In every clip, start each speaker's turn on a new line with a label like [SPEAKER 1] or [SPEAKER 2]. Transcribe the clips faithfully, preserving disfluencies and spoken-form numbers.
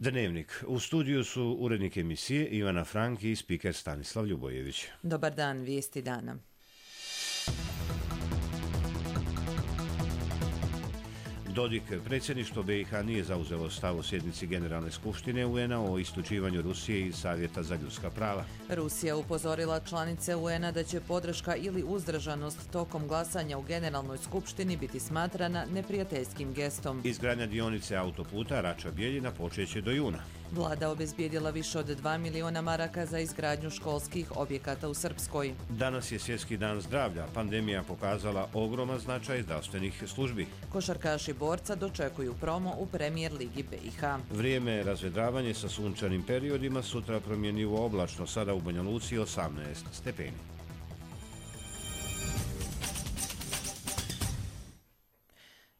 [SPEAKER 1] Dnevnik. U studiju su urednik emisije Ivana Frank i spiker Stanislav Ljubojević.
[SPEAKER 2] Dobar dan, vijesti dana.
[SPEAKER 1] Dodik, predsjedništvo B i H nije zauzelo stav o sjednici Generalne skupštine U N A o isključivanju Rusije iz Savjeta za ljudska prava.
[SPEAKER 2] Rusija upozorila članice U N A da će podrška ili uzdržanost tokom glasanja u Generalnoj skupštini biti smatrana neprijateljskim gestom.
[SPEAKER 1] Izgradnja dionice autoputa Rača-Bjeljina počeće do juna.
[SPEAKER 2] Vlada obezbijedila više od dva miliona maraka za izgradnju školskih objekata u Srpskoj.
[SPEAKER 1] Danas je Svjetski dan zdravlja. Pandemija pokazala ogroman značaj zdravstvenih službi.
[SPEAKER 2] Košarkaši Borca dočekuju promo u Premijer ligi B i H.
[SPEAKER 1] Vrijeme razvedravanje sa sunčanim periodima, sutra promjenjivo oblačno, sada u Banja Luci osamnaest stepeni.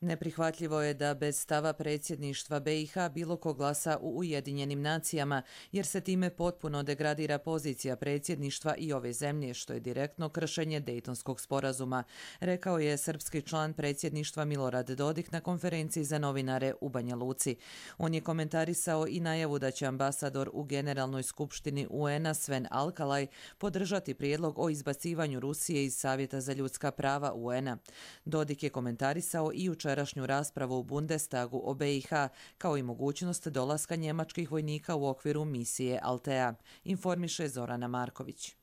[SPEAKER 2] Neprihvatljivo je da bez stava predsjedništva B i H bilo ko glasa u Ujedinjenim nacijama, jer se time potpuno degradira pozicija predsjedništva i ove zemlje, što je direktno kršenje Dejtonskog sporazuma, rekao je srpski član predsjedništva Milorad Dodik na konferenciji za novinare u Banja Luci. On je komentarisao i najavu da će ambasador u Generalnoj skupštini U N A Sven Alkalaj podržati prijedlog o izbacivanju Rusije iz Savjeta za ljudska prava U N A. Dodik je komentarisao i jučer rašnju raspravu u Bundestagu o B i H, kao i mogućnost dolaska njemačkih vojnika u okviru misije Altea, informiše Zorana Marković.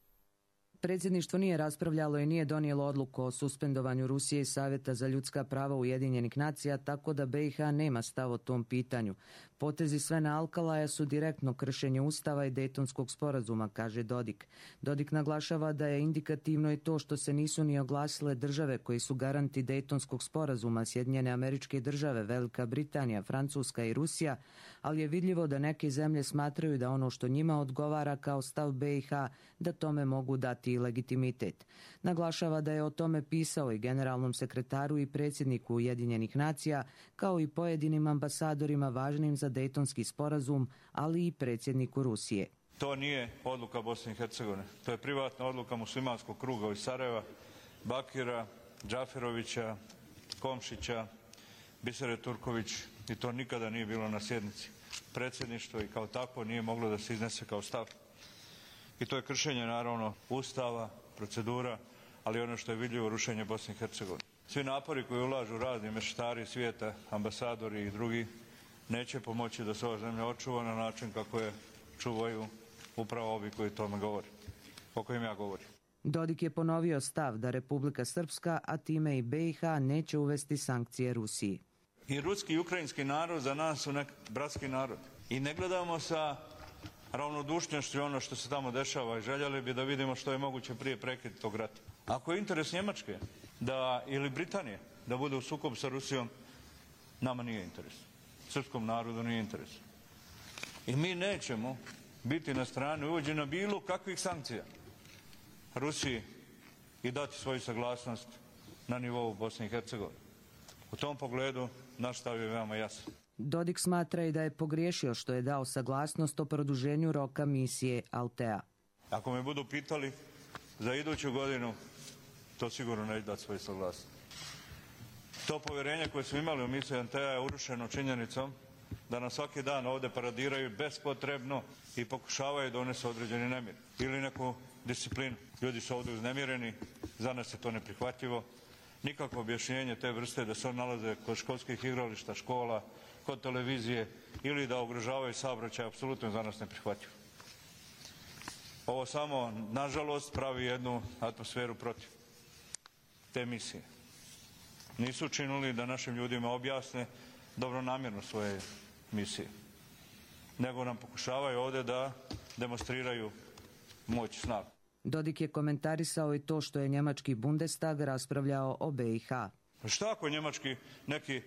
[SPEAKER 3] Predsjedništvo nije raspravljalo i nije donijelo odluku o suspendovanju Rusije iz Savjeta za ljudska prava Ujedinjenih nacija, tako da B i H nema stav o tom pitanju. Potezi Svena Alkalaja su direktno kršenje Ustava i Dejtonskog sporazuma, kaže Dodik. Dodik naglašava da je indikativno i to što se nisu ni oglasile države koji su garanti Dejtonskog sporazuma, Sjedinjene Američke Države, Velika Britanija, Francuska i Rusija, ali je vidljivo da neke zemlje smatraju da ono što njima odgovara kao stav B i H, da tome mogu dati i legitimitet. Naglašava da je o tome pisao i generalnom sekretaru i predsjedniku Ujedinjenih nacija, kao i pojedinim ambasadorima važnim za Dejtonski sporazum, ali i predsjedniku Rusije.
[SPEAKER 4] To nije odluka Bosne i Hercegovine. To je privatna odluka muslimanskog kruga iz Sarajeva, Bakira, Džaferovića, Komšića, Bisere Turković, i to nikada nije bilo na sjednici. Predsjedništvo i kao takvo nije moglo da se iznese kao stav. I to je kršenje, naravno, Ustava, procedura, ali ono što je vidljivo, rušenje Bosne i Hercegovine. Svi napori koji ulažu razni mešetari svijeta, ambasadori i drugi, neće pomoći da se ova zemlja očuva na način kako je čuvaju upravo ovi koji tome govori, o kojim ja govorim.
[SPEAKER 3] Dodik je ponovio stav da Republika Srpska, a time i B i H, neće uvesti sankcije Rusiji.
[SPEAKER 4] I ruski i ukrajinski narod za nas su nek bratski narod. I ne gledamo sa ravnodušnošću ono što se tamo dešava i željeli bi da vidimo što je moguće prije prekida tog rata. Ako je interes Njemačke da, ili Britanije da bude u sukobu sa Rusijom, nama nije interes. Srpskom narodu nije interes. I mi nećemo biti na strani uvođenja bilo kakvih sankcija Rusiji i dati svoju saglasnost na nivou Bosne i Hercegovine. U tom pogledu naš stav je veoma jasan.
[SPEAKER 3] Dodik smatra i da je pogriješio što je dao saglasnost o produženju roka misije Altea.
[SPEAKER 4] Ako me budu pitali za iduću godinu, to sigurno neće dati svoju saglasnost. To povjerenje koje smo imali u misiji Altea je urušeno činjenicom da nam svaki dan ovdje paradiraju bespotrebno i pokušavaju donesti određeni nemir ili neku disciplinu. Ljudi su ovdje uznemireni, za nas je to neprihvatljivo. Nikakvo objašnjenje te vrste da se on nalaze kod školskih igrališta, škola, kod televizije ili da ugrožavaju saobraćaj, apsolutno za nas neprihvatljivo. Ovo samo, nažalost, pravi jednu atmosferu protiv te misije. Nisu učinili da našim ljudima objasne dobronamjerno svoje misije, nego nam pokušavaju ovdje da demonstriraju moć, snagu.
[SPEAKER 3] Dodik je komentarisao i to što je njemački Bundestag raspravljao o B i H.
[SPEAKER 4] Šta ako njemački neki e,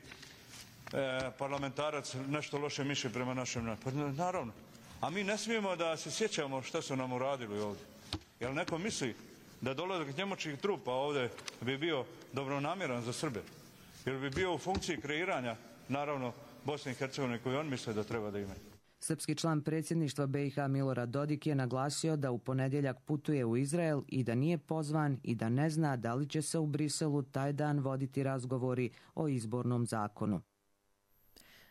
[SPEAKER 4] parlamentarac nešto loše mišlji prema našem narodu? Pa naravno. A mi ne smijemo da se sjećamo šta su nam uradili ovdje. Jel neko misli da dolazak njemačkih trupa ovdje bi bio dobronamjeran za Srbe? Jer bi bio u funkciji kreiranja, naravno, Bosne i Hercegovine koju on misle da treba da imaju.
[SPEAKER 3] Srpski član predsjedništva B i H Milorad Dodik je naglasio da u ponedjeljak putuje u Izrael i da nije pozvan i da ne zna da li će se u Briselu taj dan voditi razgovori o izbornom zakonu.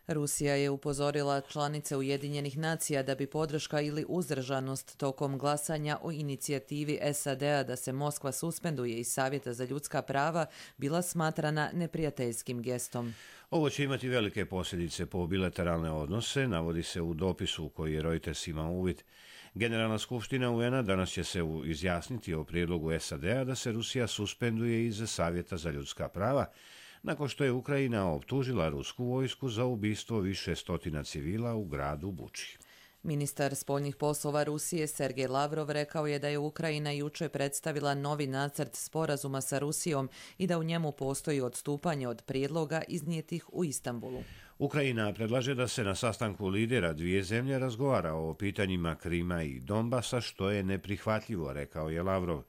[SPEAKER 2] Rusija je upozorila članice Ujedinjenih nacija da bi podrška ili uzdržanost tokom glasanja o inicijativi S A D-a da se Moskva suspenduje iz Savjeta za ljudska prava bila smatrana neprijateljskim gestom.
[SPEAKER 1] Ovo će imati velike posljedice po bilateralne odnose, navodi se u dopisu u koji je Reuters imao uvid. Generalna skupština U N-a danas će se izjasniti o prijedlogu S A D-a da se Rusija suspenduje iz Savjeta za ljudska prava, nakon što je Ukrajina optužila rusku vojsku za ubistvo više stotina civila u gradu Buči.
[SPEAKER 2] Ministar spoljnih poslova Rusije Sergej Lavrov rekao je da je Ukrajina jučer predstavila novi nacrt sporazuma sa Rusijom i da u njemu postoji odstupanje od prijedloga iznijetih u Istanbulu.
[SPEAKER 1] Ukrajina predlaže da se na sastanku lidera dvije zemlje razgovara o pitanjima Krima i Donbasa, što je neprihvatljivo, rekao je Lavrov.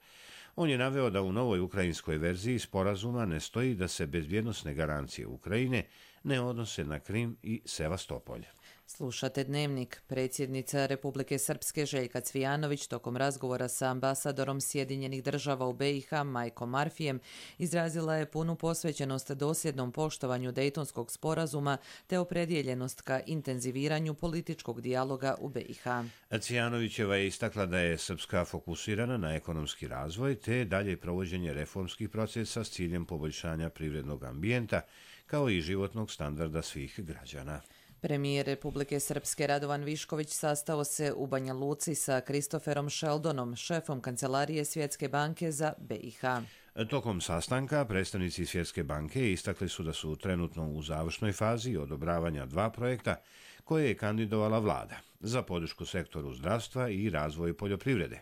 [SPEAKER 1] On je naveo da u novoj ukrajinskoj verziji sporazuma ne stoji da se bezbjednosne garancije Ukrajine ne odnose na Krim i Sevastopolj.
[SPEAKER 2] Slušate Dnevnik. Predsjednica Republike Srpske Željka Cvijanović tokom razgovora sa ambasadorom Sjedinjenih država u B i H Majkom Marfijem izrazila je punu posvećenost dosljednom poštovanju Dejtonskog sporazuma te opredjeljenost ka intenziviranju političkog dijaloga u B i H.
[SPEAKER 1] Cvijanovićeva je istakla da je Srpska fokusirana na ekonomski razvoj te dalje provođenje reformskih procesa s ciljem poboljšanja privrednog ambijenta kao i životnog standarda svih građana.
[SPEAKER 2] Premijer Republike Srpske Radovan Višković sastao se u Banja Luci sa Christopherom Sheldonom, šefom Kancelarije Svjetske banke za B i H.
[SPEAKER 1] Tokom sastanka predstavnici Svjetske banke istakli su da su trenutno u završnoj fazi odobravanja dva projekta koje je kandidovala vlada za podršku sektoru zdravstva i razvoj poljoprivrede.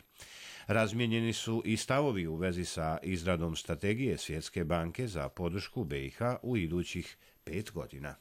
[SPEAKER 1] Razmijenjeni su i stavovi u vezi sa izradom strategije Svjetske banke za podršku B i H u idućih pet godina.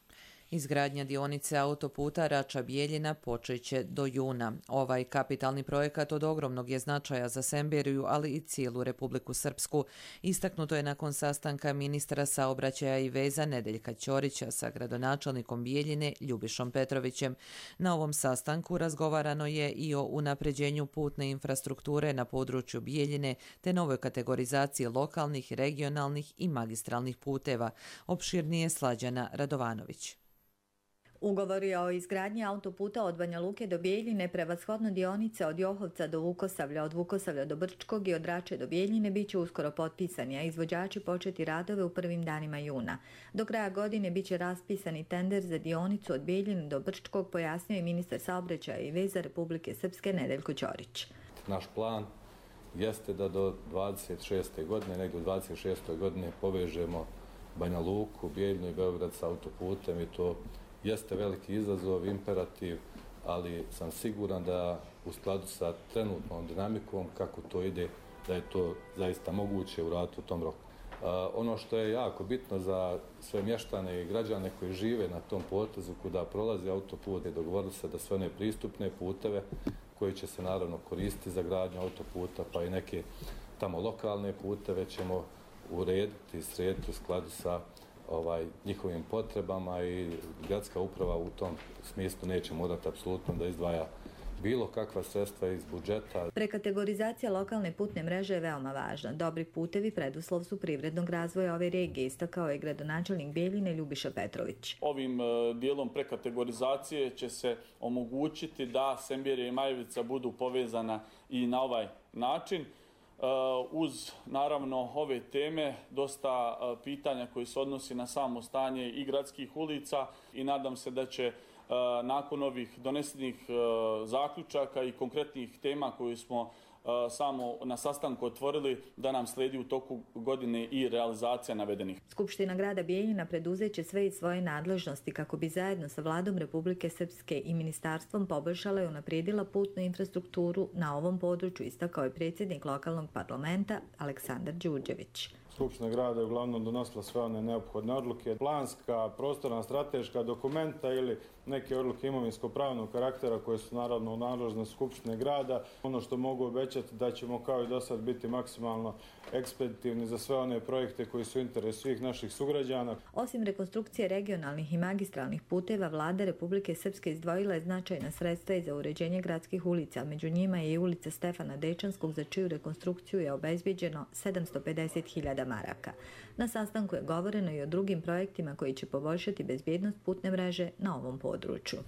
[SPEAKER 2] Izgradnja dionice autoputa Rača-Bijeljina počeće do juna. Ovaj kapitalni projekat od ogromnog je značaja za Semberiju, ali i cijelu Republiku Srpsku. Istaknuto je nakon sastanka ministra saobraćaja i veza Nedeljka Ćorića sa gradonačelnikom Bijeljine Ljubišom Petrovićem. Na ovom sastanku razgovarano je i o unapređenju putne infrastrukture na području Bijeljine te novoj kategorizaciji lokalnih, regionalnih i magistralnih puteva. Opširnije Slađana Radovanović.
[SPEAKER 5] Ugovori o izgradnji autoputa od Banja Luke do Bijeljine, prevashodno dionice od Johovca do Vukosavlja, od Vukosavlja do Brčkog i od Rače do Bijeljine bit će uskoro potpisani, a izvođači početi radove u prvim danima juna. Do kraja godine bit će raspisani tender za dionicu od Bijeljine do Brčkog, pojasnio je ministar saobraćaja i veza Republike Srpske Nedeljko Ćorić.
[SPEAKER 6] Naš plan jeste da do dvadeset šeste godine, negdje u dvadeset šestoj godine povežemo Banja Luku, Bijeljinu i Beograd sa autoputem i to jeste veliki izazov, imperativ, ali sam siguran da u skladu sa trenutnom dinamikom, kako to ide, da je to zaista moguće uraditi u tom roku. Uh, ono što je jako bitno za sve mještane i građane koji žive na tom potezu kuda prolazi autoput, je dogovorili se da sve one pristupne puteve koji će se naravno koristiti za gradnju autoputa, pa i neke tamo lokalne puteve ćemo urediti i srediti u skladu sa ovaj, njihovim potrebama i gradska uprava u tom smislu neće morati apsolutno da izdvaja bilo kakva sredstva iz budžeta.
[SPEAKER 5] Prekategorizacija lokalne putne mreže je veoma važna. Dobri putevi preduslov su privrednog razvoja ove regije, istakao je gradonačelnik Bijeljine Ljubiša Petrović.
[SPEAKER 7] Ovim dijelom prekategorizacije će se omogućiti da Semberija i Majevica budu povezana i na ovaj način. Uz, naravno, ove teme, dosta pitanja koji se odnosi na samo stanje i gradskih ulica i nadam se da će nakon ovih donesenih zaključaka i konkretnih tema koje smo samo na sastanku otvorili, da nam slijedi u toku godine i realizacija navedenih.
[SPEAKER 5] Skupština grada Bijeljina preduzeće sve iz svoje nadležnosti kako bi zajedno sa vladom Republike Srpske i ministarstvom poboljšala i unaprijedila putnu infrastrukturu na ovom području, istakao je predsjednik lokalnog parlamenta Aleksandar Đurđević.
[SPEAKER 8] Skupština grada je uglavnom donosila sve one neophodne odluke, planska, prostorna, strateška dokumenta ili neke odluke imovinsko-pravnog karaktera koje su naravno u nadležnosti Skupštine grada. Ono što mogu obećati obećati da ćemo kao i do sad biti maksimalno ekspeditivni za sve one projekte koji su u interesu svih naših sugrađana.
[SPEAKER 5] Osim rekonstrukcije regionalnih i magistralnih puteva, vlada Republike Srpske izdvojila je značajna sredstva i za uređenje gradskih ulica. Među njima je i ulica Stefana Dečanskog, za čiju rekonstrukciju je obezbeđeno sedamsto pedeset hiljada maraka. Na sastanku je govoreno i o drugim projektima koji će poboljšati bezbjednost putne mreže na ovom području.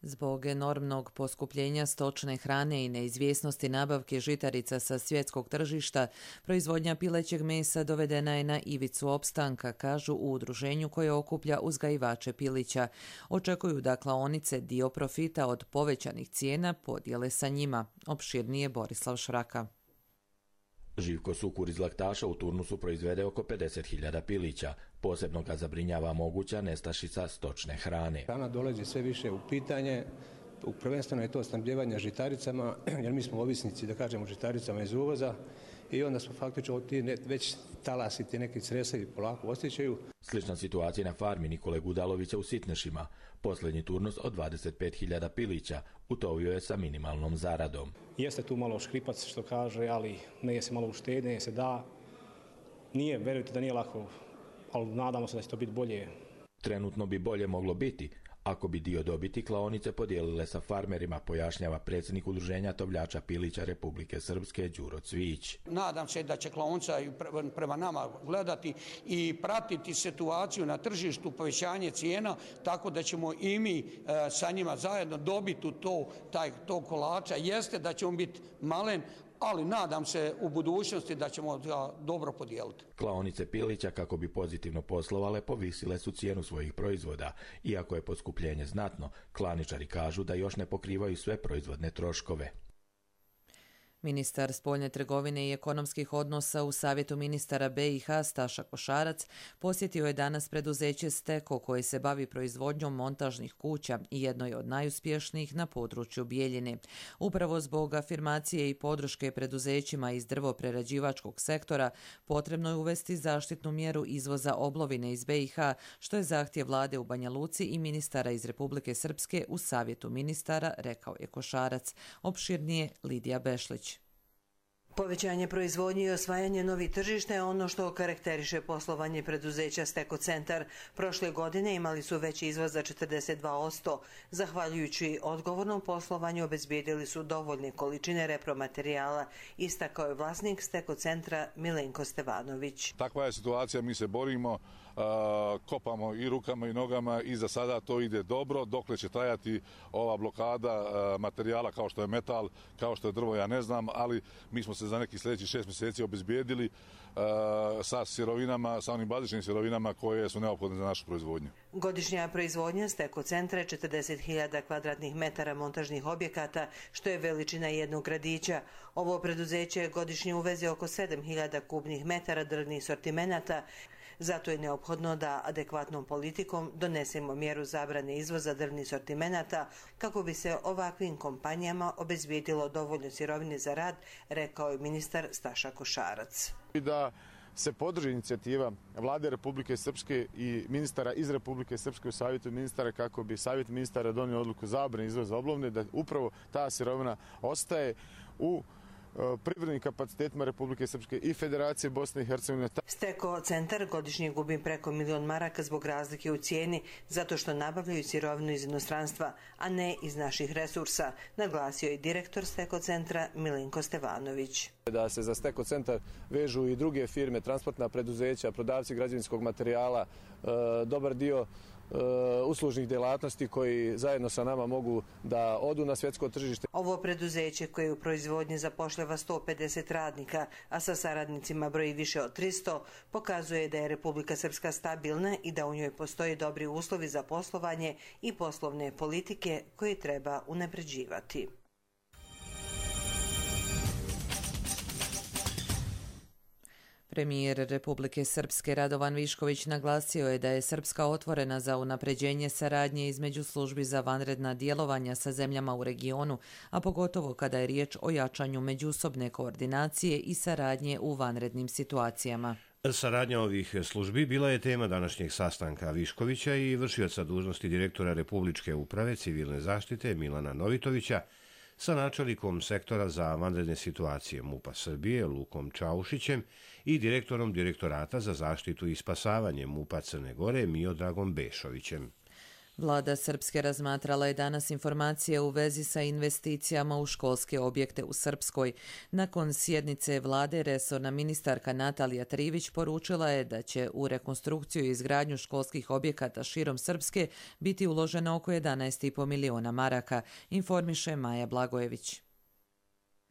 [SPEAKER 2] Zbog enormnog poskupljenja stočne hrane i neizvjesnosti nabavke žitarica sa svjetskog tržišta, proizvodnja pilećeg mesa dovedena je na ivicu opstanka, kažu u udruženju koje okuplja uzgajivače pilića. Očekuju da klaonice dio profita od povećanih cijena podijele sa njima. Opširnije Borislav Šraka.
[SPEAKER 9] Živko Sukur iz Laktaša u turnusu proizvede oko pedeset hiljada pilića. Posebno ga zabrinjava moguća nestašica stočne hrane.
[SPEAKER 10] Hrana dolazi sve više u pitanje, prvenstveno je to snabdijevanje žitaricama, jer mi smo ovisnici, da kažemo, žitaricama iz uvoza i onda smo faktično ti ne, već talasi, ti neki cresevi polako osjećaju.
[SPEAKER 9] Slična situacija na farmi Nikole Gudalovića u Sitnešima. Posljednji turnus od dvadeset pet hiljada pilića utovio je sa minimalnom zaradom.
[SPEAKER 10] Jeste tu malo škripac što kaže, ali ne se malo uštede, ne se da. Nije, verujte da nije lako, ali nadamo se da će to biti bolje.
[SPEAKER 9] Trenutno bi bolje moglo biti ako bi dio dobiti klaonice podijelile sa farmerima, pojašnjava predsjednik udruženja tovljača pilića Republike Srpske Đuro Cvijić.
[SPEAKER 11] Nadam se da će klaonica prema nama gledati i pratiti situaciju na tržištu, povećanje cijena, tako da ćemo i mi sa njima zajedno dobiti to, taj, to kolača. Jeste da ćemo biti malen, ali nadam se u budućnosti da ćemo ga dobro podijeliti.
[SPEAKER 9] Klaonice pilića, kako bi pozitivno poslovale, povisile su cijenu svojih proizvoda. Iako je poskupljenje znatno, klaničari kažu da još ne pokrivaju sve proizvodne troškove.
[SPEAKER 2] Ministar spoljne trgovine i ekonomskih odnosa u Savjetu ministara be i ha Staša Košarac posjetio je danas preduzeće Steko koje se bavi proizvodnjom montažnih kuća i jedno je od najuspješnijih na području Bijeljine. Upravo zbog afirmacije i podrške preduzećima iz drvoprerađivačkog sektora potrebno je uvesti zaštitnu mjeru izvoza oblovine iz be i ha, što je zahtjev vlade u Banja Luci i ministara iz Republike Srpske u Savjetu ministara, rekao je Košarac. Opširnije Lidija Bešlić.
[SPEAKER 12] Povećanje proizvodnje i osvajanje novih tržišta je ono što karakteriše poslovanje preduzeća Steko Centar. Prošle godine imali su veći izvoz za četrdeset dva posto. Zahvaljujući odgovornom poslovanju obezbijedili su dovoljne količine repromaterijala, istakao je vlasnik Steko Centra Milenko Stevanović.
[SPEAKER 13] Takva je situacija, mi se borimo, kopamo i rukama i nogama i za sada to ide dobro. Dokle će trajati ova blokada materijala kao što je metal, kao što je drvo, ja ne znam, ali mi smo se za nekih sljedećih šest mjeseci obezbijedili sa sirovinama, sa onim bazičnim sirovinama koje su neophodne za našu proizvodnju.
[SPEAKER 12] Godišnja proizvodnja Steko Centra je četrdeset hiljada kvadratnih metara montažnih objekata, što je veličina jednog gradića. Ovo preduzeće godišnje uveze oko sedam hiljada kubnih metara drvnih sortimenata. Zato je neophodno da adekvatnom politikom donesemo mjeru zabrane izvoza drvnih sortimenata kako bi se ovakvim kompanijama obezbijedilo dovoljno sirovine za rad, rekao je ministar Staša Košarac.
[SPEAKER 14] Da se podrži inicijativa vlade Republike Srpske i ministara iz Republike Srpske u Savjetu ministara kako bi Savjet ministara donio odluku zabrane izvoza oblovine, da upravo ta sirovina ostaje u privrednim kapacitetima Republike Srpske i Federacije Bosne i Hercegovine.
[SPEAKER 12] Steko Centar godišnje gubi preko milion maraka zbog razlike u cijeni, zato što nabavljaju sirovinu iz inostranstva, a ne iz naših resursa, naglasio je direktor Steko Centra Milenko Stevanović.
[SPEAKER 15] Da se za Steko Centar vežu i druge firme, transportna preduzeća, prodavci građevinskog materijala, dobar dio uslužnih djelatnosti koji zajedno sa nama mogu da odu na svjetsko tržište.
[SPEAKER 12] Ovo preduzeće koje u proizvodnji zapošljava sto pedeset radnika, a sa saradnicima broji više od tristo, pokazuje da je Republika Srpska stabilna i da u njoj postoje dobri uslovi za poslovanje i poslovne politike koje treba unapređivati.
[SPEAKER 2] Premijer Republike Srpske Radovan Višković naglasio je da je Srpska otvorena za unapređenje saradnje između službi za vanredna djelovanja sa zemljama u regionu, a pogotovo kada je riječ o jačanju međusobne koordinacije i saradnje u vanrednim situacijama.
[SPEAKER 1] Saradnja ovih službi bila je tema današnjeg sastanka Viškovića i vršioca dužnosti direktora Republičke uprave civilne zaštite Milana Novitovića sa načelnikom sektora za vanredne situacije MUP-a Srbije Lukom Čaušićem i direktorom Direktorata za zaštitu i spasavanje MUP-a Crne Gore Miodragom Bešovićem.
[SPEAKER 2] Vlada Srpske razmatrala je danas informacije u vezi sa investicijama u školske objekte u Srpskoj. Nakon sjednice vlade resorna ministarka Natalija Trivić poručila je da će u rekonstrukciju i izgradnju školskih objekata širom Srpske biti uloženo oko jedanaest i po miliona maraka, informiše Maja Blagojević.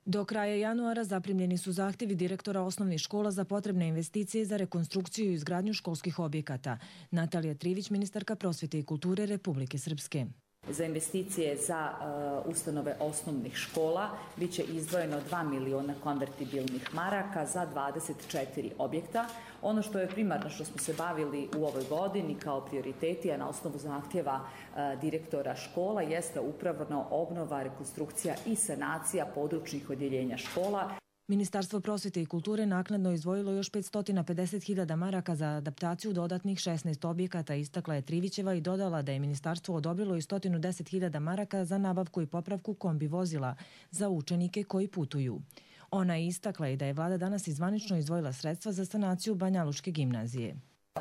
[SPEAKER 16] Do kraja januara zaprimljeni su zahtjevi direktora osnovnih škola za potrebne investicije za rekonstrukciju i izgradnju školskih objekata. Natalija Trivić, ministarka prosvjete i kulture Republike Srpske.
[SPEAKER 17] Za investicije za uh, ustanove osnovnih škola bit će izdvojeno dva miliona konvertibilnih maraka za dvadeset četiri objekta. Ono što je primarno što smo se bavili u ovoj godini kao prioriteti, a na osnovu zahtjeva uh, direktora škola, jeste upravno obnova, rekonstrukcija i sanacija područnih odjeljenja škola.
[SPEAKER 16] Ministarstvo prosvjete i kulture naknadno izdvojilo još petsto pedeset hiljada maraka za adaptaciju dodatnih šesnaest objekata, istakla je Trivićeva i dodala da je ministarstvo odobrilo i sto deset hiljada maraka za nabavku i popravku kombi vozila za učenike koji putuju. Ona je istakla i da je vlada danas izvanično izdvojila sredstva za sanaciju Banjalučke gimnazije.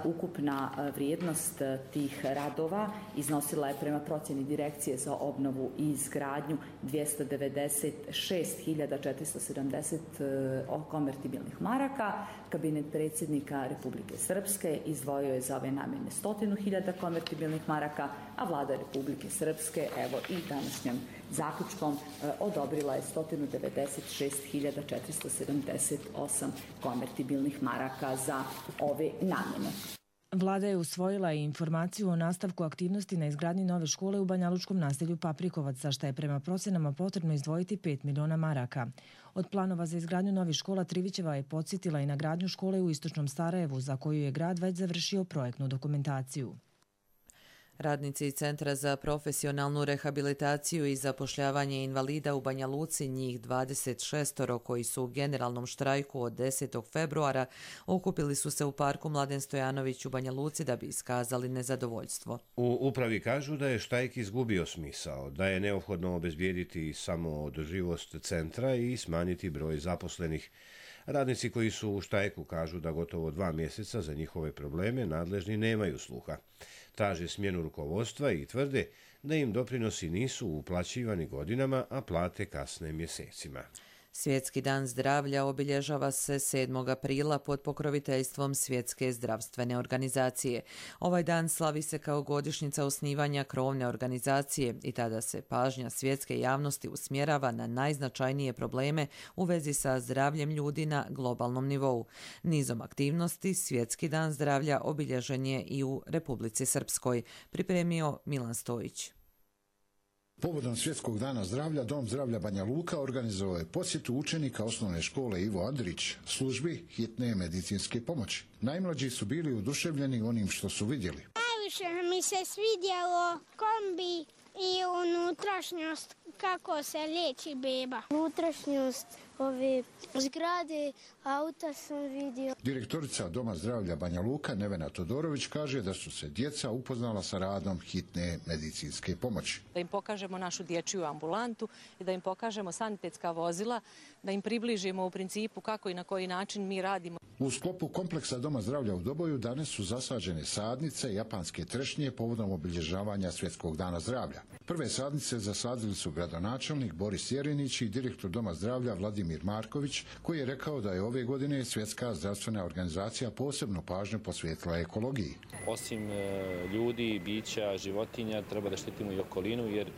[SPEAKER 17] Ukupna vrijednost tih radova iznosila je prema procjeni Direkcije za obnovu i izgradnju dvjesto devedeset šest hiljada četiristo sedamdeset konvertibilnih maraka. Kabinet predsjednika Republike Srpske izdvojio je za ove namjene stotinu hiljada konvertibilnih maraka, a vlada Republike Srpske evo i današnjim zaključkom odobrila je sto devedeset šest hiljada četiristo sedamdeset osam konvertibilnih maraka za ove namjene.
[SPEAKER 16] Vlada je usvojila i informaciju o nastavku aktivnosti na izgradnji nove škole u banjalučkom naselju Paprikovac, za što je prema procjenama potrebno izdvojiti pet miliona maraka. Od planova za izgradnju novih škola Trivićeva je podsjetila i na gradnju škole u istočnom Sarajevu, za koju je grad već završio projektnu dokumentaciju.
[SPEAKER 2] Radnici Centra za profesionalnu rehabilitaciju i zapošljavanje invalida u Banja Luci, njih dvadeset šest koji su u generalnom štrajku od desetog februara, okupili su se u parku Mladen Stojanović u Banja Luci da bi iskazali nezadovoljstvo.
[SPEAKER 1] U upravi kažu da je štrajk izgubio smisao, da je neophodno obezbijediti samo održivost centra i smanjiti broj zaposlenih. Radnici koji su u štrajku kažu da gotovo dva mjeseca za njihove probleme nadležni nemaju sluha. Traže smjenu rukovodstva i tvrde da im doprinosi nisu uplaćivani godinama, a plate kasne mjesecima.
[SPEAKER 2] Svjetski dan zdravlja obilježava se sedmog aprila pod pokroviteljstvom Svjetske zdravstvene organizacije. Ovaj dan slavi se kao godišnjica osnivanja krovne organizacije i tada se pažnja svjetske javnosti usmjerava na najznačajnije probleme u vezi sa zdravljem ljudi na globalnom nivou. Nizom aktivnosti Svjetski dan zdravlja obilježen je i u Republici Srpskoj, pripremio Milan Stojić.
[SPEAKER 18] Povodom Svjetskog dana zdravlja, Dom zdravlja Banja Luka organizovao je posjetu učenika osnovne škole Ivo Andrić, službi hitne medicinske pomoći. Najmlađi su bili oduševljeni onim što su vidjeli.
[SPEAKER 19] Najviše mi se svidjelo kombi i unutrašnjost, kako se liječi beba. Unutrašnjost ove zgrade, auta sam vidio.
[SPEAKER 18] Direktorica Doma zdravlja Banja Luka Nevena Todorović kaže da su se djeca upoznala sa radom hitne medicinske pomoći.
[SPEAKER 20] Da im pokažemo našu dječju ambulantu i da im pokažemo sanitetska vozila, da im približimo u principu kako i na koji način mi radimo.
[SPEAKER 18] U sklopu kompleksa Doma zdravlja u Doboju danas su zasađene sadnice japanske trešnje povodom obilježavanja Svjetskog dana zdravlja. Prve sadnice zasadili su gradonačelnik Boris Jerinić i direktor Doma zdravlja Vladimir Marković, koji je rekao da je ove godine Svjetska zdravstvena organizacija posebno pažnju posvetila ekologiji.
[SPEAKER 21] Osim ljudi, bića, životinja, treba da štitimo i okolinu, jer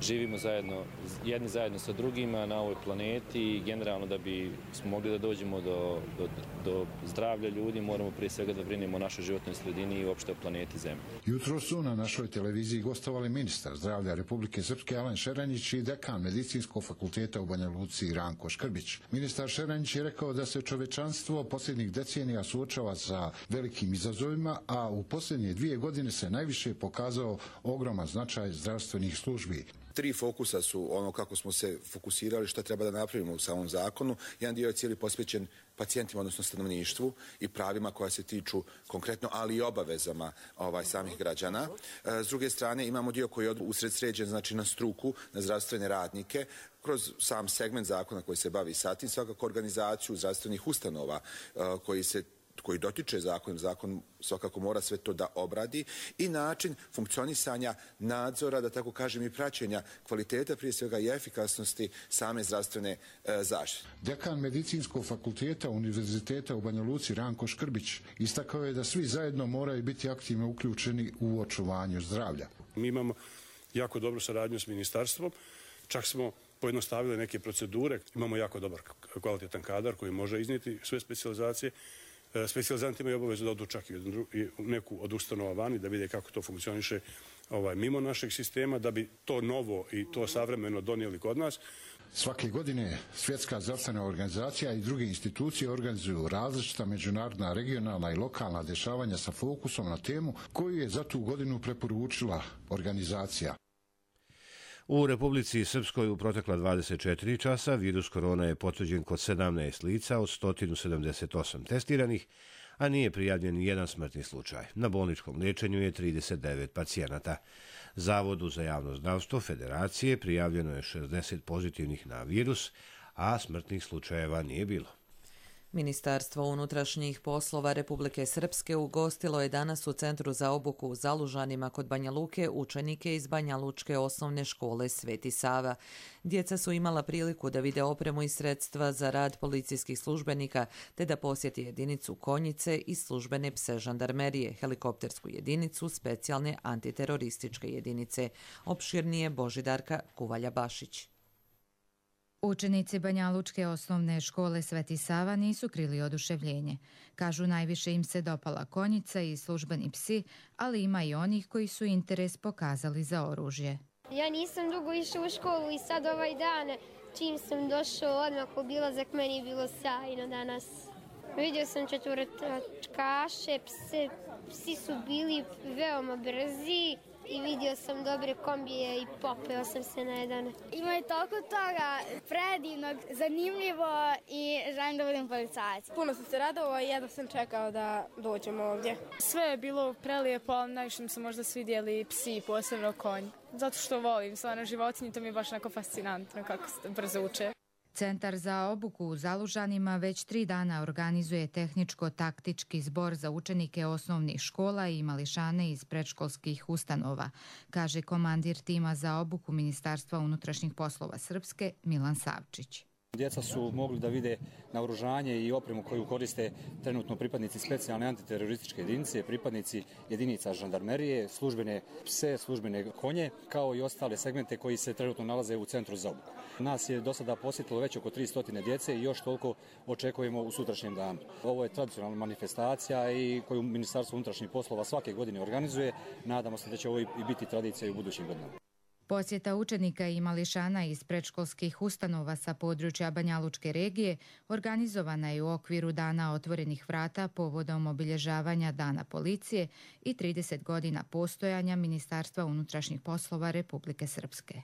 [SPEAKER 21] živimo zajedno, jedni zajedno sa drugima na ovoj planeti i generalno da bi smo mogli da dođemo do, do, do zdravlja ljudi, moramo prije svega da brinemo o našoj životnoj sredini i uopšte o planeti Zemlji.
[SPEAKER 18] Jutro su na našoj televiziji gostovali ministar zdravlja Republike Srpske Alen Šeranjić i dekan Medicinskog fakulteta u Banja Luci Ranko Škrbić. Ministar Šeranjić je rekao da se čovečanstvo posljednjih decenija suočava sa velikim izazovima, a u posljednje dvije godine se najviše pokazao ogroman značaj zdravstvenih službi.
[SPEAKER 4] Tri fokusa su ono kako smo se fokusirali, šta treba da napravimo u samom zakonu. Jedan dio je cijeli posvećen pacijentima, odnosno stanovništvu i pravima koja se tiču konkretno, ali i obavezama ovaj, samih građana. S druge strane imamo dio koji je usred sređen, znači na struku, na zdravstvene radnike, kroz sam segment zakona koji se bavi sa tim, svakako organizaciju zdravstvenih ustanova koji se koji dotiče zakon, zakon svakako mora sve to da obradi i način funkcionisanja nadzora, da tako kažem, i praćenja kvaliteta, prije svega i efikasnosti same zdravstvene e, zaštite.
[SPEAKER 18] Dekan Medicinskog fakulteta Univerziteta u Banja Luci Ranko Škrbić istakao je da svi zajedno moraju biti aktivno uključeni u očuvanju zdravlja.
[SPEAKER 22] Mi imamo jako dobru saradnju s ministarstvom, čak smo pojednostavili neke procedure, imamo jako dobar kvalitetan kadar koji može iznijeti sve specijalizacije. Specijalizanti imaju obavezu da odu čak i u neku od ustanova vani, da vide kako to funkcioniše ovaj, mimo našeg sistema, da bi to novo i to savremeno donijeli kod nas.
[SPEAKER 18] Svake godine Svjetska zdravstvena organizacija i druge institucije organizuju različita međunarodna, regionalna i lokalna dešavanja sa fokusom na temu koju je za tu godinu preporučila organizacija.
[SPEAKER 1] U Republici Srpskoj u protekla dvadeset četiri časa virus korona je potvrđen kod sedamnaest lica od sto sedamdeset osam testiranih, a nije prijavljen ni jedan smrtni slučaj. Na bolničkom liječenju je trideset devet pacijenata. Zavodu za javno zdravstvo Federacije prijavljeno je šezdeset pozitivnih na virus, a smrtnih slučajeva nije bilo.
[SPEAKER 2] Ministarstvo unutrašnjih poslova Republike Srpske ugostilo je danas u Centru za obuku u Zalužanima kod Banja Luke učenike iz Banja Lučke osnovne škole Sveti Sava. Djeca su imala priliku da vide opremu i sredstva za rad policijskih službenika, te da posjeti jedinicu konjice i službene pse žandarmerije, helikoptersku jedinicu specijalne antiterorističke jedinice. Opširnije Božidarka Kuvalja-Bašić.
[SPEAKER 23] Učenici Banja Lučke osnovne škole Sveti Sava nisu krili oduševljenje. Kažu, najviše im se dopala konjica i službeni psi, ali ima i onih koji su interes pokazali za oružje.
[SPEAKER 24] Ja nisam dugo išao u školu i sad ovaj dan, čim sam došao odmah obilazak, meni je bilo sjajno danas. Vidio sam četvrtačkaše, pse, psi su bili veoma brzi. I vidio sam dobre kombije i popeo sam se na jedan.
[SPEAKER 25] Ima je toliko toga predivnog, zanimljivo i želim da budem policajac.
[SPEAKER 26] Puno sam se radovao i jedno sam čekao da dođemo ovdje. Sve je bilo prelijepo, ali najviše mi se možda svidjeli psi, posebno konj. Zato što volim stvarno životinje, to mi je baš onako fascinantno kako se brzo uče.
[SPEAKER 23] Centar za obuku u Zalužanima već tri dana organizuje tehničko-taktički zbor za učenike osnovnih škola i mališane iz predškolskih ustanova, kaže komandir tima za obuku Ministarstva unutrašnjih poslova Srpske Milan Savčić.
[SPEAKER 27] Djeca su mogli da vide naoružanje i opremu koju koriste trenutno pripadnici specijalne antiterorističke jedinice, pripadnici jedinica žandarmerije, službene pse, službene konje, kao i ostale segmente koji se trenutno nalaze u Centru za obuku. Nas je do sada posjetilo već oko tristo djece i još toliko očekujemo u sutrašnjem danu. Ovo je tradicionalna manifestacija i koju Ministarstvo unutrašnjih poslova svake godine organizuje. Nadamo se da će ovo i biti tradicija i u budućim godinama.
[SPEAKER 23] Posjeta učenika i mališana iz predškolskih ustanova sa područja Banja Lučke regije organizovana je u okviru Dana otvorenih vrata povodom obilježavanja Dana policije i trideset godina postojanja Ministarstva unutrašnjih poslova Republike Srpske.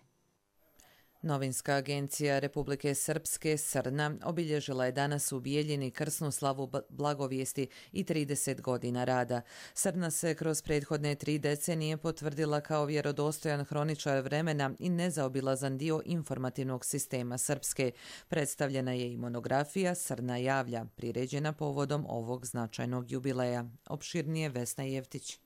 [SPEAKER 2] Novinska agencija Republike Srpske Srna obilježila je danas u Bijeljini krsnu slavu blagovijesti i trideset godina rada. Srna se kroz prethodne tri decenije potvrdila kao vjerodostojan hroničar vremena i nezaobilazan dio informativnog sistema Srpske. Predstavljena je i monografija Srna javlja, priređena povodom ovog značajnog jubileja. Opširnije Vesna Jevtić.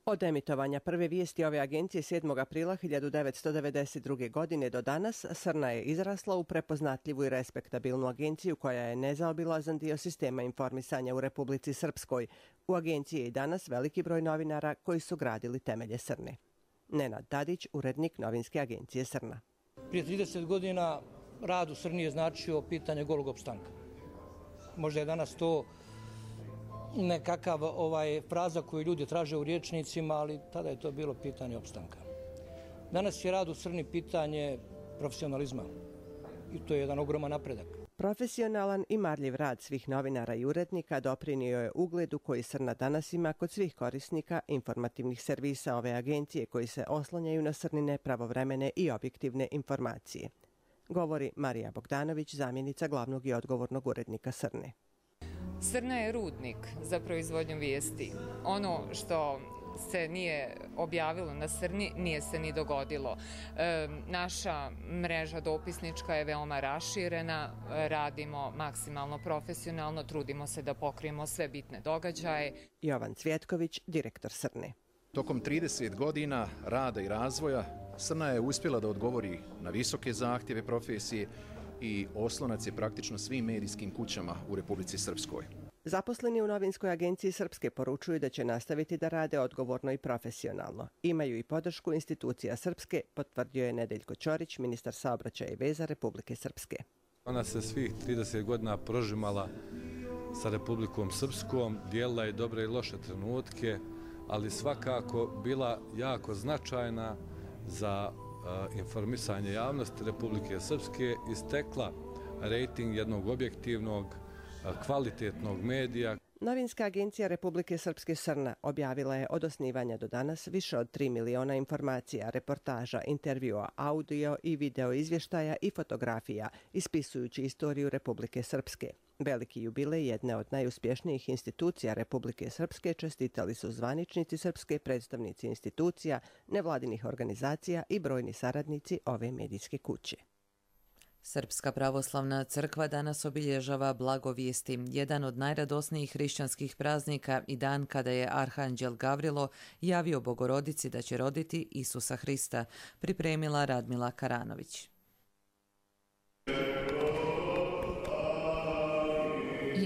[SPEAKER 28] Od emitovanja prve vijesti ove agencije sedmog aprila hiljadu devetsto devedeset druge. godine do danas, Srna je izrasla u prepoznatljivu i respektabilnu agenciju koja je nezaobilazan dio sistema informisanja u Republici Srpskoj. U agenciji je i danas veliki broj novinara koji su gradili temelje Srne. Nenad Tadić, urednik novinske agencije Srna.
[SPEAKER 29] Prije trideset godina rad u Srni je značio pitanje golog opstanka. Možda je danas to nekakav ovaj, fraza koju ljudi traže u rječnicima, ali tada je to bilo pitanje opstanka. Danas je rad u Srni pitanje profesionalizma i to je jedan ogroman napredak.
[SPEAKER 28] Profesionalan i marljiv rad svih novinara i urednika doprinio je ugledu koji Srna danas ima kod svih korisnika informativnih servisa ove agencije koji se oslanjaju na Srnine pravovremene i objektivne informacije. Govori Marija Bogdanović, zamjenica glavnog i odgovornog urednika Srne.
[SPEAKER 3] Srna je rudnik za proizvodnju vijesti. Ono što se nije objavilo na Srni, nije se ni dogodilo. E, naša mreža dopisnička je veoma raširena, radimo maksimalno profesionalno, trudimo se da pokrijemo sve bitne događaje.
[SPEAKER 28] Jovan Cvjetković, direktor Srne.
[SPEAKER 5] Tokom trideset godina rada i razvoja Srna je uspjela da odgovori na visoke zahtjeve profesije i oslonac je praktično svim medijskim kućama u Republici Srpskoj.
[SPEAKER 28] Zaposleni u novinskoj agenciji Srpske poručuju da će nastaviti da rade odgovorno i profesionalno. Imaju i podršku institucija Srpske, potvrdio je Nedeljko Ćorić, ministar saobraćaja i veza Republike Srpske.
[SPEAKER 6] Ona se svih trideset godina prožimala sa Republikom Srpskom, dijelila je dobre i loše trenutke, ali svakako bila jako značajna za uh, informisanje javnosti Republike Srpske i stekla rejting jednog objektivnog, kvalitetnog medija.
[SPEAKER 28] Novinska agencija Republike Srpske Srna objavila je od osnivanja do danas više od tri miliona informacija, reportaža, intervjua, audio i video izvještaja i fotografija, ispisujući istoriju Republike Srpske. Veliki jubilej jedne od najuspješnijih institucija Republike Srpske čestitali su zvaničnici Srpske, predstavnici institucija, nevladinih organizacija i brojni saradnici ove medijske kuće.
[SPEAKER 2] Srpska pravoslavna crkva danas obilježava Blagovijesti, jedan od najradosnijih hrišćanskih praznika i dan kada je arhanđel Gavrilo javio Bogorodici da će roditi Isusa Hrista, pripremila Radmila Karanović.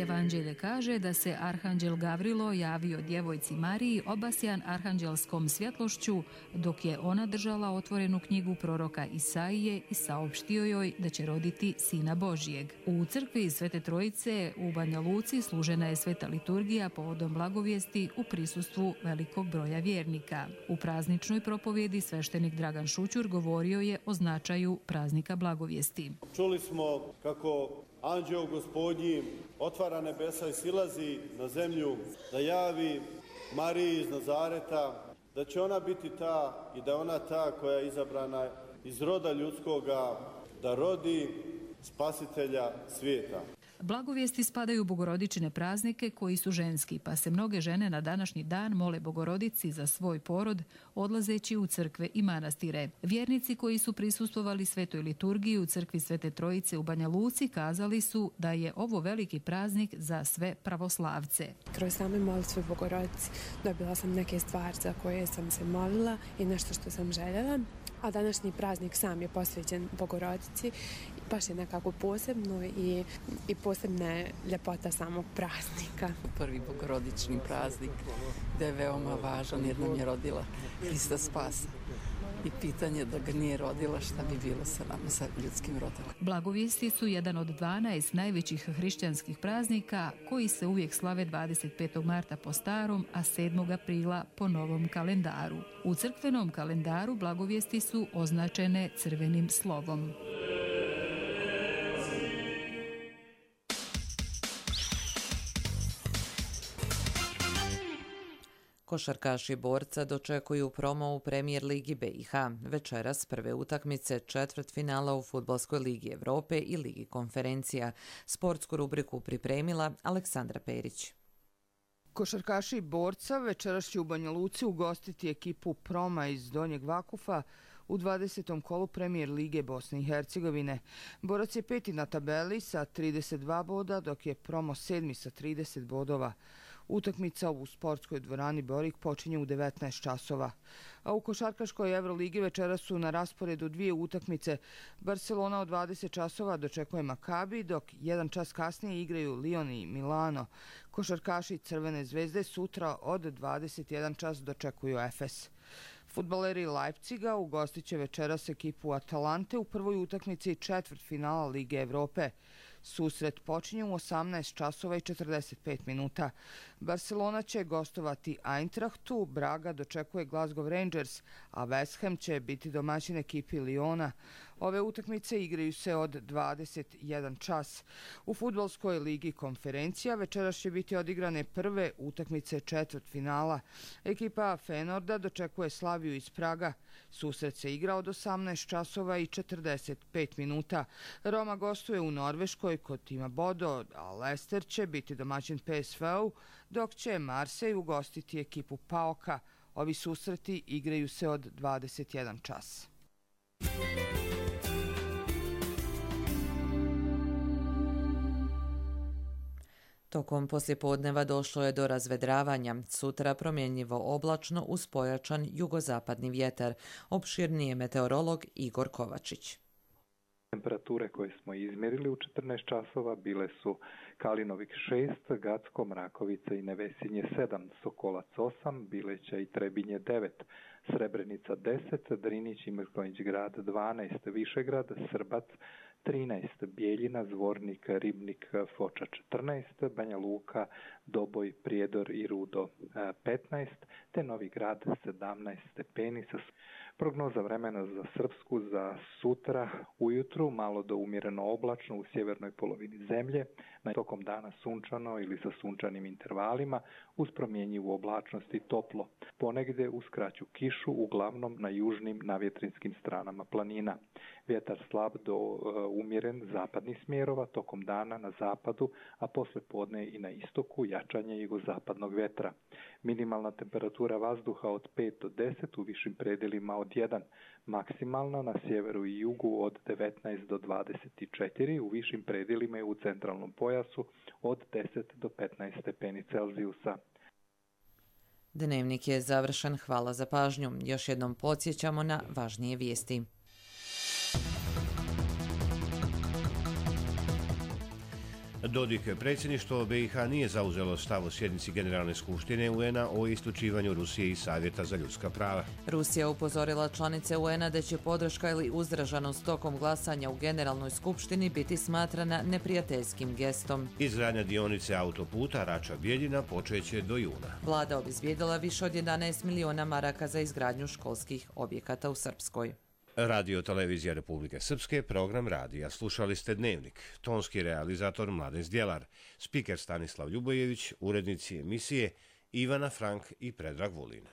[SPEAKER 7] Evanđelje kaže da se arhanđel Gavrilo javio djevojci Mariji obasjan arhanđelskom svjetlošću dok je ona držala otvorenu knjigu proroka Isaije i saopštio joj da će roditi Sina Božijeg. U crkvi Svete Trojice u Banja Luci služena je sveta liturgija povodom blagovijesti u prisustvu velikog broja vjernika. U prazničnoj propovjedi sveštenik Dragan Šućur govorio je o značaju praznika blagovijesti.
[SPEAKER 8] Čuli smo kako Anđeo Gospodnji otvara nebesa i silazi na zemlju da javi Mariji iz Nazareta da će ona biti ta i da je ona ta koja je izabrana iz roda ljudskoga da rodi spasitelja svijeta.
[SPEAKER 7] Blagovijesti spadaju u bogorodičine praznike koji su ženski, pa se mnoge žene na današnji dan mole Bogorodici za svoj porod, odlazeći u crkve i manastire. Vjernici koji su prisustvovali svetoj liturgiji u crkvi Svete Trojice u Banja Luci kazali su da je ovo veliki praznik za sve pravoslavce.
[SPEAKER 9] Kroz same molitve Bogorodici dobila sam neke stvari za koje sam se molila i nešto što sam željela, a današnji praznik sam je posvećen Bogorodici. Baš je nekako posebno i, i posebna je ljepota samog praznika.
[SPEAKER 10] Prvi bogorodični praznik da je veoma važan jer nam je rodila Hrista Spasa. I pitanje da ga nije rodila, šta bi bilo sa nama, sa ljudskim rodom.
[SPEAKER 7] Blagovijesti su jedan od dvanaest najvećih hrišćanskih praznika koji se uvijek slave dvadeset petog marta po starom, a sedmog aprila po novom kalendaru. U crkvenom kalendaru blagovijesti su označene crvenim slovom.
[SPEAKER 2] Košarkaši Borca dočekuju promo u Premier ligi B i H. Večeras prve utakmice četvrtfinala u Fudbalskoj ligi Evrope i Ligi konferencija. Sportsku rubriku pripremila Aleksandra Perić.
[SPEAKER 11] Košarkaši Borca večeras će u Banja Luci ugostiti ekipu Proma iz Donjeg Vakufa u dvadesetom kolu Premier lige Bosne i Hercegovine. Borac je peti na tabeli sa trideset dva boda, dok je Promo sedmi sa trideset bodova. Utakmica u sportskoj dvorani Borik počinje u devetnaest časova. A u košarkaškoj Evroligi večeras su na rasporedu dvije utakmice. Barcelona od dvadeset časova dočekuje Makabi, dok jedan čas kasnije igraju Lyon i Milano. Košarkaši Crvene zvezde sutra od dvadeset jedan čas dočekuju Efes. Fudbaleri Leipziga ugostit će večeras ekipu Atalante u prvoj utakmici četvrtfinala Lige Evrope. Susret počinje u osamnaest časova i četrdeset pet minuta. Barcelona će gostovati Eintrachtu, Braga dočekuje Glasgow Rangers, a West Ham će biti domaćin ekipi Lyona. Ove utakmice igraju se od dvadeset jedan čas. U fudbalskoj ligi Konferencija večeras će biti odigrane prve utakmice četvrtfinala. Ekipa Fenorda dočekuje Slaviju iz Praga. Susret se igra od osamnaest časova i četrdeset pet minuta. Roma gostuje u Norveškoj kod tima Bodo, a Leicester će biti domaćin P S V-u, dok će Marsej ugostiti ekipu Paoka. Ovi susreti igraju se od dvadeset jedan čas.
[SPEAKER 2] Tokom poslijepodneva došlo je do razvedravanja. Sutra promjenjivo oblačno uz pojačan jugozapadni vjetar. Opširnije meteorolog Igor Kovačić.
[SPEAKER 12] Temperature koje smo izmjerili u četrnaest časova bile su Kalinovik šest, Gacko, Mrakovica i Nevesinje sedam, Sokolac osam, Bileća i Trebinje devet, Srebrenica deset, Drinić i Mrkonjić grad dvanaest, Višegrad, Srbac trinaest, Bijeljina, Zvornik, Ribnik, Foča četrnaest, Banja Luka, Doboj, Prijedor i Rudo petnaest, te Novi Grad sedamnaest stepeni. Prognoza vremena za Srpsku za sutra ujutru, malo do umjereno oblačno u sjevernoj polovini zemlje, na tokom dana sunčano ili sa sunčanim intervalima, uz promjenjivu oblačnost i toplo. Ponegdje uz kraću kišu, uglavnom na južnim navjetrinskim stranama planina. Vjetar slab do uh, umjeren zapadnih smjerova, tokom dana na zapadu, a posle podne i na istoku jačanje jugozapadnog vjetra. Minimalna temperatura vazduha od pet do deset, u višim predjelima od jedan, maksimalna na sjeveru i jugu od devetnaest do dvadeset četiri, u višim predjelima i u centralnom pojasu od deset do petnaest stepeni Celzijusa.
[SPEAKER 2] Dnevnik je završen. Hvala za pažnju. Još jednom podsjećamo na važnije vijesti.
[SPEAKER 1] Dodik predsjedništvo B i H nije zauzelo stav o sjednici Generalne skupštine U N-a o isključivanju Rusije iz Savjeta za ljudska prava.
[SPEAKER 2] Rusija upozorila članice U N-a da će podrška ili uzdržanost tokom glasanja u Generalnoj skupštini biti smatrana neprijateljskim gestom.
[SPEAKER 1] Izgradnja dionice autoputa Rača-Bijeljina počeće do juna.
[SPEAKER 2] Vlada obezbijedila više od jedanaest miliona maraka za izgradnju školskih objekata u Srpskoj.
[SPEAKER 1] Radio Televizija Republike Srpske, program radija. Slušali ste Dnevnik. Tonski realizator Mladen Zdjelar, spiker Stanislav Ljubojević, urednici emisije Ivana Frank i Predrag Vulin.